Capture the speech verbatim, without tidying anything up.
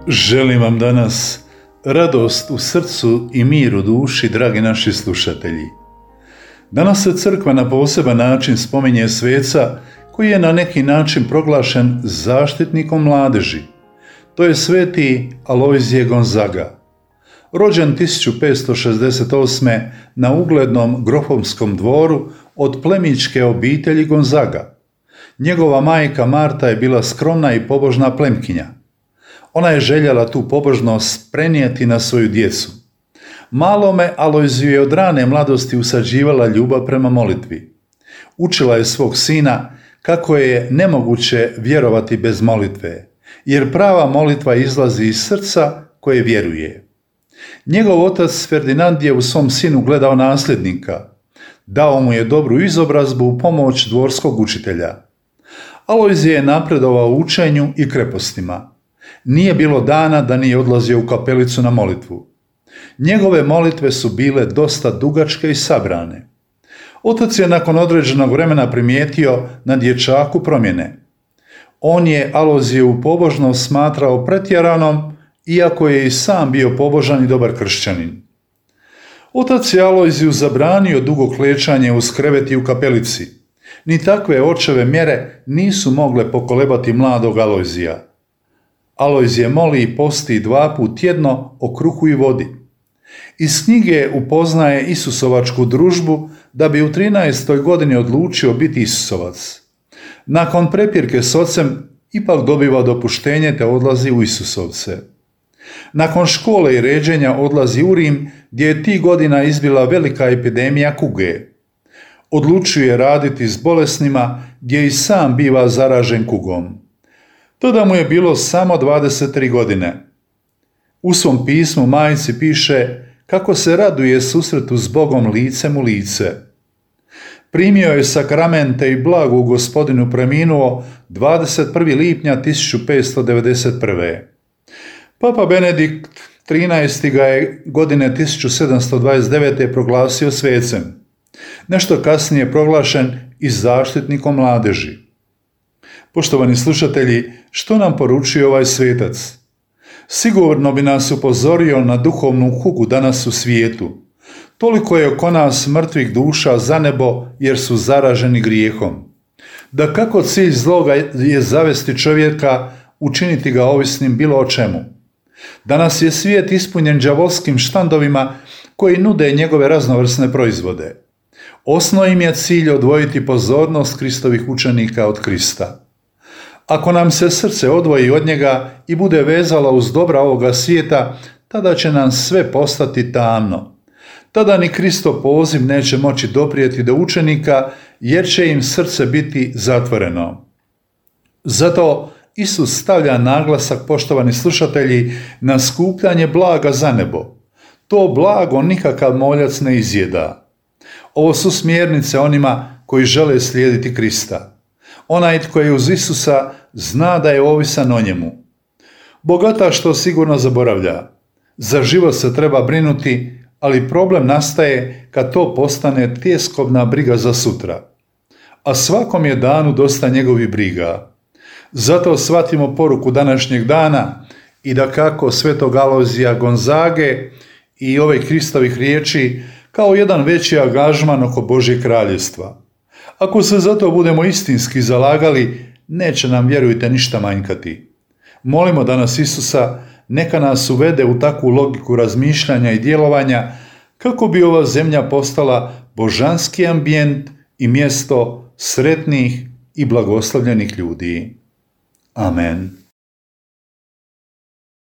Želim vam danas radost u srcu i mir u duši, dragi naši slušatelji. Danas se crkva na poseban način spominje sveca koji je na neki način proglašen zaštitnikom mladeži. To je sveti Alojzije Gonzaga. Rođen tisuću petsto šezdeset osme. na uglednom grofovskom dvoru od plemićke obitelji Gonzaga. Njegova majka Marta je bila skromna i pobožna plemkinja. Ona je željela tu pobožnost prenijeti na svoju djecu. Malome Alojziju je od rane mladosti usađivala ljubav prema molitvi. Učila je svog sina kako je nemoguće vjerovati bez molitve, jer prava molitva izlazi iz srca koje vjeruje. Njegov otac Ferdinand je u svom sinu gledao nasljednika. Dao mu je dobru izobrazbu u pomoć dvorskog učitelja. Alojzije je napredovao u učenju i krepostima. Nije bilo dana da nije odlazio u kapelicu na molitvu. Njegove molitve su bile dosta dugačke i sabrane. Otac je nakon određenog vremena primijetio na dječaku promjene. On je Alojzijevu pobožnost smatrao pretjeranom, iako je i sam bio pobožan i dobar kršćanin. Otac je Alojziju zabranio dugo klečanje uz krevet i u kapelici. Ni takve očeve mjere nisu mogle pokolebati mladog Alojzija. Alojzije moli i posti dva put tjedno o kruhu i vodi. Iz knjige upoznaje Isusovačku družbu da bi u trinaestoj godini odlučio biti Isusovac. Nakon prepirke s ocem ipak dobiva dopuštenje te odlazi u Isusovce. Nakon škole i ređenja odlazi u Rim, gdje je tih godina izbila velika epidemija kuge. Odlučuje raditi s bolesnima, gdje i sam biva zaražen kugom. Tada mu je bilo samo dvadeset tri godine. U svom pismu majci piše kako se raduje susretu s Bogom licem u lice. Primio je sakramente i blago u Gospodinu preminuo dvadeset prvog lipnja tisuću petsto devedeset prve. Papa Benedikt trinaesti. ga je godine tisuću sedamsto dvadeset devete. proglasio svecem. Nešto kasnije proglašen i zaštitnikom mladeži. Poštovani slušatelji, što nam poručuje ovaj svetac? Sigurno bi nas upozorio na duhovnu kugu danas u svijetu. Toliko je oko nas mrtvih duša za nebo jer su zaraženi grijehom. Da kako cilj zloga je zavesti čovjeka, učiniti ga ovisnim bilo o čemu. Danas je svijet ispunjen đavolskim štandovima koji nude njegove raznovrsne proizvode. Osnovni im je cilj odvojiti pozornost Kristovih učenika od Krista. Ako nam se srce odvoji od njega i bude vezalo uz dobra ovoga svijeta, tada će nam sve postati tamno. Tada ni Kristov poziv neće moći doprijeti do učenika, jer će im srce biti zatvoreno. Zato Isus stavlja naglasak, poštovani slušatelji, na skupljanje blaga za nebo. To blago nikakav moljac ne izjeda. Ovo su smjernice onima koji žele slijediti Krista. Onaj tko je uz Isusa zna da je ovisan o njemu. Bogataš to sigurno zaboravlja. Za život se treba brinuti, ali problem nastaje kad to postane tjeskobna briga za sutra. A svakom je danu dosta njegovih briga. Zato shvatimo poruku današnjeg dana i da kako svetog Alojzija Gonzage i ove Kristovih riječi kao jedan veći angažman oko Božjeg kraljevstva. Ako se za to budemo istinski zalagali, neće nam, vjerujte, ništa manjkati. Molimo danas Isusa neka nas uvede u takvu logiku razmišljanja i djelovanja kako bi ova zemlja postala božanski ambijent i mjesto sretnih i blagoslovljenih ljudi. Amen.